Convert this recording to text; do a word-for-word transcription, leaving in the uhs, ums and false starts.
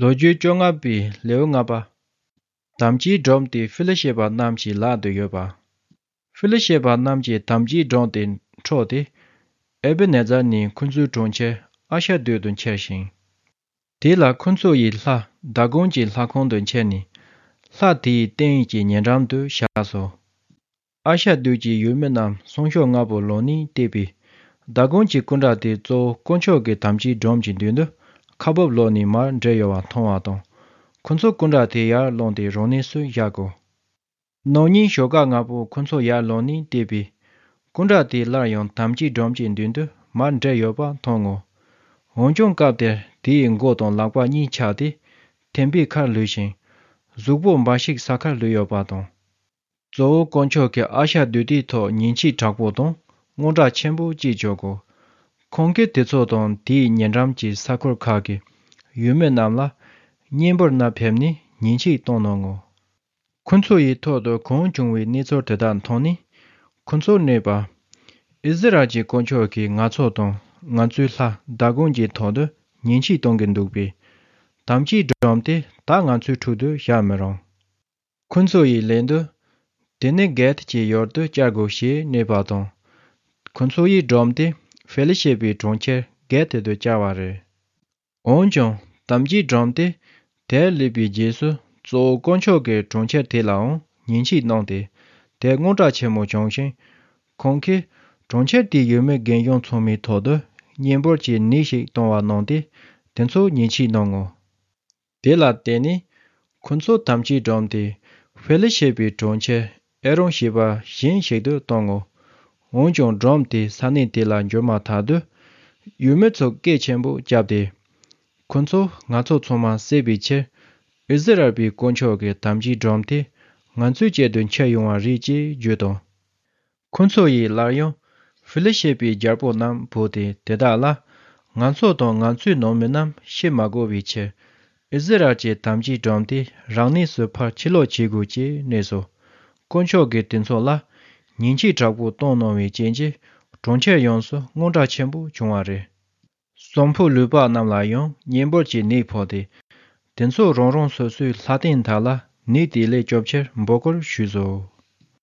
ལོ་རྒྱུས་བཅོ་ལྔ་པའི་ལེའུ་ལྔ་པ། དམ་བཅའི་སྒྲོམ་དེ་ཧྥི་ལི་ཤེད་པ་རྣམས་ཀྱི་ལག་ཏུ་ཡོད་པ། ཧྥི་ལི་ཤེད་པ་རྣམས་ཀྱིས་དམ་བཅའི་སྒྲོམ་དེ་འཕྲོག་སྟེ། ཨེ་བེ་ནེ་ཛར་ནས་ཁོ་ཚོའི་གྲོང་ཁྱེར་ཨ་ཤ་དོད་དུ་འཁྱེར་ཞིང་། དེ་ལ་ཁོ་ཚོ་ཡི་ལྷ་དཱ་གོན་གྱི་ལྷ་ཁང་དུ་འཁྱེར་ནས། ལྷ་དེའི་རྟེན་གྱི་ཉེ་འགྲམ་དུ་བཞག་སོ། ཨ་ཤ་དོད་ཀྱི་ཡུལ་མི་རྣམས་སང་ཞོགས་སྔ་པོ་ལངས་ནས་བལྟས་པས། དཱ་གོན་གྱི་སྐུ་འདྲ་དེ་གཙོ་བོ་དཀོན་མཆོག་གི་དམ་བཅའི་སྒྲོམ་གྱི་མདུན་དུ་ཁ་འབབ་ལོག་ནས་མར་འདྲེད་ཡོད་པ་མཐོང་བ་དང་། ཁོ་ཚོ་སྐུ་འདྲ་དེ་ཡར་བླངས་ཏེ་རང་གནས་སུ་བཞག་གོ། ནང་ཉིན་ཞོགས་ཀ་སྔ་པོ་ཁོ་ཚོ་ཡར་ལངས་ནས་བལྟས་པས། སྐུ་འདྲ་དེ་སླར་ཡང་དམ་བཅའི་སྒྲོམ་གྱི་མདུན་དུ་མར་འདྲེད་ཡོད་པ་མཐོང་ངོ་། འོན་ཀྱང་སྐབས་དེར་དེའི་མགོ་དང་ལག་པ་གཉིས་ཆག་སྟེ། ཐེམ་པའི་ཁར་ལུས་ཤིང་། གཟུགས་པོ་འབའ་ཞིག་ས་ཁར་ལུས་ཡོད་པ་དང་། གཙོ་བོ་དཀོན་མཆོག་གིས་ཨ་ཤ་དོད་དེའི་ཐོག་ཉེས་ཆད་དྲག་པོ་དང་དངངས་སྐྲག་ཆེན་པོ་སྐྱེས་བྱུང་གོ། ཁོང་གིས་དེ་ཚོ་དང་དེའི་ཉེ་འགྲམ་གྱི་ས་ཁུལ་ཁག་གི་ཡུལ་མི་རྣམས་ལ་གཉན་འབུར་ནད་ཕེབས་ནས་ཉེས་ཆད་བཏང་གནང་ངོ་། ཁོ་ཚོ་ཡི་ཐོག་ཏུ་གང་བྱུང་བའི་གནས་ཚུལ་དེ་དག་མཐོང་ནས། ཁོ་ཚོ་སྨྲས་པ། ཨིསི་རཱཨེལ་གྱི་དཀོན་མཆོག་གིས་ང་ཚོ་དང་ང་ཚོའི་ལྷ་དཱ་གོན་གྱི་ཐོག་ཏུ་ཉེས་ཆད་གཏོང་གི་འདུག་པས། དམ་བཅའི་སྒྲོམ་དེ་ད་ང་ཚོའི་ཁྲོད་དུ་བཞག་མི་རུང་། ཁོ་ཚོ་ཡི་ལན་དུ། དེ་ནི་གད་ཀྱི་ཡུལ་དུ་བསྐྱལ་དགོས་ཞེས་སྨྲས་པ་དང་། ཁོ་ཚོ་ཡི་སྒྲོམ་དེ་ཧྥེ་ལི་ཤེད་པའི་གྲོང་ཁྱེར་གད་དུ་བསྐྱལ་བ་རེད། འོན་ཀྱང་དམ་བཅའི་སྒྲོམ་དེ་དེར་སླེབས་པའི་རྗེས་སུ་གཙོ་བོ་དཀོན་མཆོག་གིས་གྲོང་ཁྱེར་དེ་ལའང་ཉེས་ཆད་གནང་སྟེ། དེ་དངངས་སྐྲག་ཆེན་མོ་བྱུང་ཞིང་། ཁོང་གིས་གྲོང་ཁྱེར་དེའི་ཡུལ་མི་རྒན་གཞོན་ཚང་མའི་ཐོག་ཏུ་གཉན་འབུར་གྱི་ནད་ཞིག་བཏང་བ་གནང་སྟེ། དེ་ཚོ་ཉེས་ཆད་གནང་ངོ་། དེ་ལ་བརྟེན་ནས་ཁོ་ཚོ་དམ་བཅའི་སྒྲོམ་དེ་ཧྥེ་ལི་ཤེད་པའི་གྲོང་ཁྱེར་ཨེ་རོན་ཞེས་པ་གཞན་ཞིག་ཏུ་བཏང་ངོ་། འོན་ཀྱང་སྒྲོམ་དེ་ས་གནས་དེ་ལ་འབྱོར་མ་ཐག་ཏུ་ཡུལ་མི་ཚོ་སྐད་ཆེན་པོ་བརྒྱབ་སྟེ། ཁོ་ཚོ་ང་ཚོ་ཚང་མ་བསད་པའི་ཕྱིར། ཨིསི་རཱཨེལ་པའི་དཀོན་མཆོག་གི་དམ་བཅའི་སྒྲོམ་དེ་ང་ཚོའི་ཆེད་དུ་འཁྱེར་ཡོང་བ་རེད་ཅེས་བརྗོད་དོ། ཁོ་ཚོ་ཡིས་སླར་ཡང་ཧྥེ་ལི་ཤེད་པའི་རྒྱལ་པོ་རྣམས་བོས་ཏེ་དེ་དག་ལ། ང་ཚོ་དང་ང་ཚོའི་ནང་མི་རྣམས་ཤི་མ་དགོས་པའི་ཕྱིར། ཨིསི་རཱཨེལ་གྱི་དམ་བཅའི་སྒྲོམ་དེ་རང་གནས་སུ་ཕར་ཕྱིར་ལོག་བྱེད་དགོས་ཅེས་སྨྲས་སོ། དཀོན་མཆོག་གིས་དེ་ཚོ་ལ་ཉེས་ཆད་དྲག་པོ་བཏང་གནང་བའི་རྐྱེན་གྱིས། གྲོང་ཁྱེར་ཡོངས་སུ་དངངས་སྐྲག་ཆེན་པོ་བྱུང་བ་རེད། གསོན་པོ་ལུས་པ་རྣམས་ལ་ཡང་གཉན་འབུར་གྱི་ནད་ཕོག་སྟེ། དེ་ཚོ་རང་རང་སོ་སོའི་ལྷ་རྟེན་དག་ལ་ནད་དེ་ལས་སྐྱོབ་ཕྱིར་འབོད་སྐུལ་ཞུས་སོ།